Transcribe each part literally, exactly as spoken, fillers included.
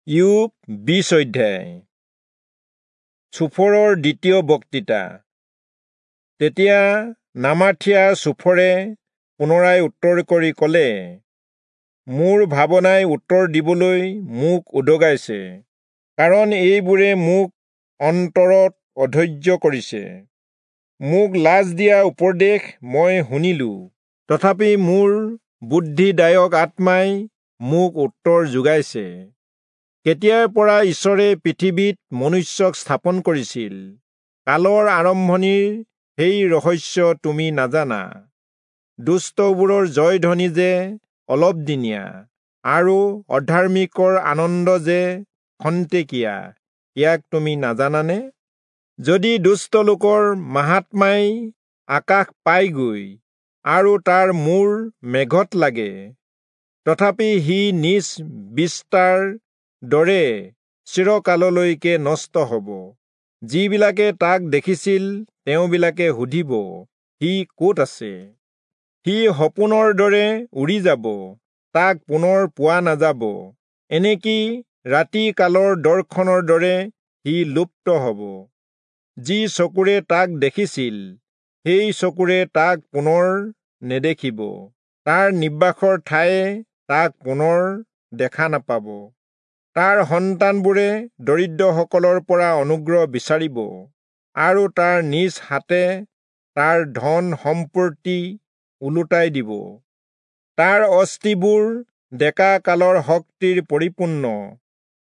ইয়োব বিশ অধ্যায়। চোফৰৰ দ্বিতীয় বক্তৃতা। তেতিয়া নামাথীয়া চোফৰে পুনৰাই উত্তৰ কৰি কলে, মোৰ ভাৱনাই উত্তৰ দিবলৈ মোক উদগাইছে, কাৰণ এইবোৰে মোক অন্তৰত অধৈৰ্য কৰিছে। মোক লাজ দিয়া উপদেশ মই শুনিলো, তথাপি মোৰ বুদ্ধিদায়ক আত্মাই মোক উত্তৰ যোগাইছে। কেতিয়াৰ পৰা ঈশ্বৰে পৃথিৱীত মনুষ্যক স্থাপন কৰিছিল, কালৰ আৰম্ভণিৰ সেই ৰহস্য তুমি নাজানা। দুষ্টবোৰৰ জয়ধ্বনি যে অলপদিনীয়া আৰু অধাৰ্মিকৰ আনন্দ যে খন্তেকীয়া, ইয়াক তুমি নাজানানে? যদি দুষ্ট লোকৰ মাহাত্ম্যই আকাশ পায়গৈ আৰু তাৰ মূৰ মেঘত লাগে, তথাপি সি নিজ বিস্তাৰ দৰে চিৰকাললৈকে নষ্ট হব। যিবিলাকে তাক দেখিছিল তেওঁবিলাকে সুধিব, সি ক'ত আছে? সি সপোনৰ দৰে উৰি যাব, তাক পুনৰ পোৱা নাযাব। এনেকি ৰাতি কালৰ দৰ্শনৰ দৰে সি লুপ্ত হব। যি চকুৰে তাক দেখিছিল, সেই চকুৰে তাক পুনৰ নেদেখিব, তাৰ নিবাসৰ ঠায়ে তাক পুনৰ দেখা নাপাব। তাৰ সন্তানবোৰে দৰিদ্ৰসকলৰ পৰা অনুগ্ৰহ বিচাৰিব, আৰু তাৰ নিজ হাতে তাৰ ধন সম্পত্তি ওলোটাই দিব। তাৰ অস্থিবোৰ ডেকা কালৰ শক্তিৰ পৰিপূৰ্ণ,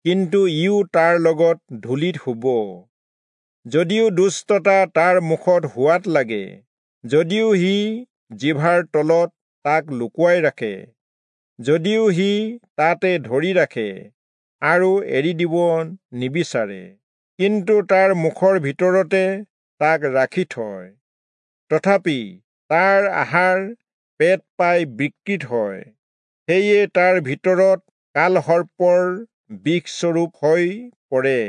কিন্তু ইও তাৰ লগত ধূলিত শুব। যদিও দুষ্টতা তাৰ মুখত সোৱাদ লাগে, যদিও সি জিভাৰ তলত তাক লুকুৱাই ৰাখে, যদিও সি তাতে ধৰি ৰাখে আৰু এৰি দিব নিবিচাৰে, কিন্তু তাৰ মুখৰ ভিতৰতে তাক ৰাখি থয়, তথাপি তাৰ আহাৰ পেট পাই বিকৃত হয়, সেয়ে তাৰ ভিতৰত কালসৰ্পৰ বিষস্বৰূপ হৈ পৰে।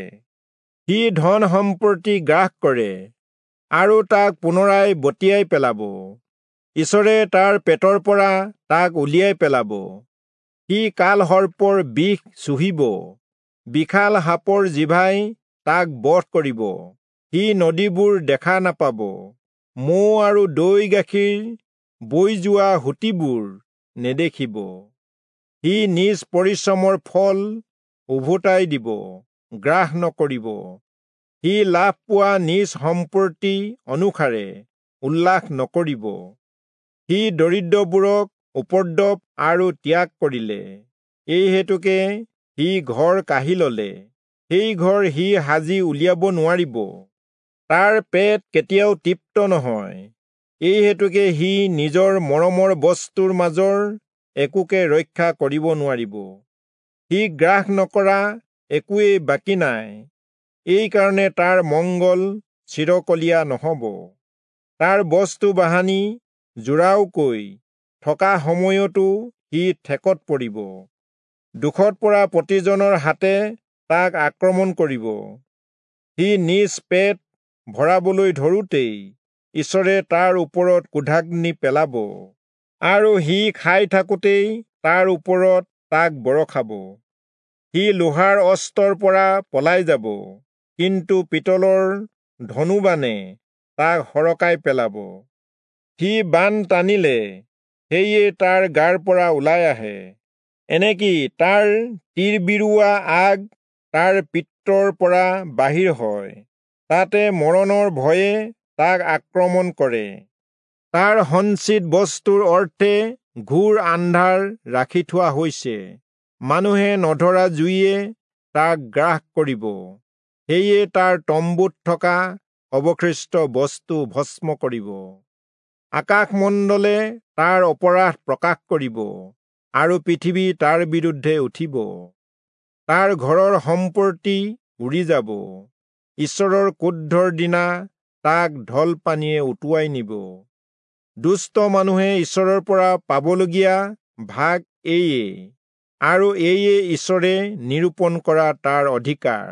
সি ধন সম্পত্তি গ্ৰাস কৰে আৰু তাক পুনৰাই বটিয়াই পেলাব। ঈশ্বৰে তাৰ পেটৰ পৰা তাক উলিয়াই পেলাব। সি কালসৰ্পৰ বিষ চুহিব, বিশাল সাপৰ জিভাই তাক বধ কৰিব। সি নদীবোৰ দেখা নাপাব, মৌ আৰু দৈ গাখীৰ বৈ যোৱা সুঁতিবোৰ নেদেখিব। সি নিজ পৰিশ্ৰমৰ ফল উভতাই দিব, গ্ৰাস নকৰিব। সি লাভ পোৱা নিজ সম্পত্তি অনুসাৰে উল্লাস নকৰিব। সি দৰিদ্ৰবোৰক উপদ্ৰৱ আৰু ত্যাগ কৰিলে, এই হেতুকে সি ঘৰ কাঢ়ি ললে, সেই ঘৰ সি সাজি উলিয়াব নোৱাৰিব। তাৰ পেট কেতিয়াও তৃপ্ত নহয়, এই হেতুকে সি নিজৰ মৰমৰ বস্তুৰ মাজৰ একোকে ৰক্ষা কৰিব নোৱাৰিব। সি গ্ৰাস নকৰা একোৱেই বাকী নাই, এইকাৰণে তাৰ মংগল চিৰকলীয়া নহব। তাৰ বস্তু বাহানি জোৰাওকৈ থকা সময়তো সি ঠেকত পৰিব। দুখত পৰা প্ৰতিজনৰ হাতে তাক আক্ৰমণ কৰিব। সি নিজ পেট ভৰাবলৈ ধৰোঁতেই ঈশ্বৰে তাৰ ওপৰত ক্ৰোধাগ্নি পেলাব, আৰু সি খাই থাকোঁতেই তাৰ ওপৰত তাক বৰষাব। সি লোহাৰ অস্ত্ৰৰ পৰা পলাই যাব, কিন্তু পিতলৰ ধনুবাণে তাক সৰকাই পেলাব। সি বাণ টানিলে সেয়ে তাৰ গাৰ পৰা ওলাই আহে, এনেকি তাৰ তিৰবিৰোৱা আগ তাৰ পিত্তৰ পৰা বাহিৰ হয়, তাতে মৰণৰ ভয়ে তাক আক্ৰমণ কৰে। তাৰ সঞ্চিত বস্তুৰ অৰ্থে ঘোৰ আন্ধাৰ ৰাখি থোৱা হৈছে, মানুহে নধৰা জুইয়ে তাক গ্ৰাস কৰিব, সেয়ে তাৰ তম্বুত থকা অৱশিষ্ট বস্তু ভস্ম কৰিব। আকাশমণ্ডলে তাৰ অপৰাধ প্ৰকাশ কৰিব, আৰু পৃথিৱী তাৰ বিৰুদ্ধে উঠিব। তাৰ ঘৰৰ সম্পত্তি উৰি যাব, ঈশ্বৰৰ ক্ৰোধৰ দিনা তাক ঢল পানীয়ে উটুৱাই নিব। দুষ্ট মানুহে ঈশ্বৰৰ পৰা পাবলগীয়া ভাগ এয়ে, আৰু এয়ে ঈশ্বৰে নিৰূপণ কৰা তাৰ অধিকাৰ।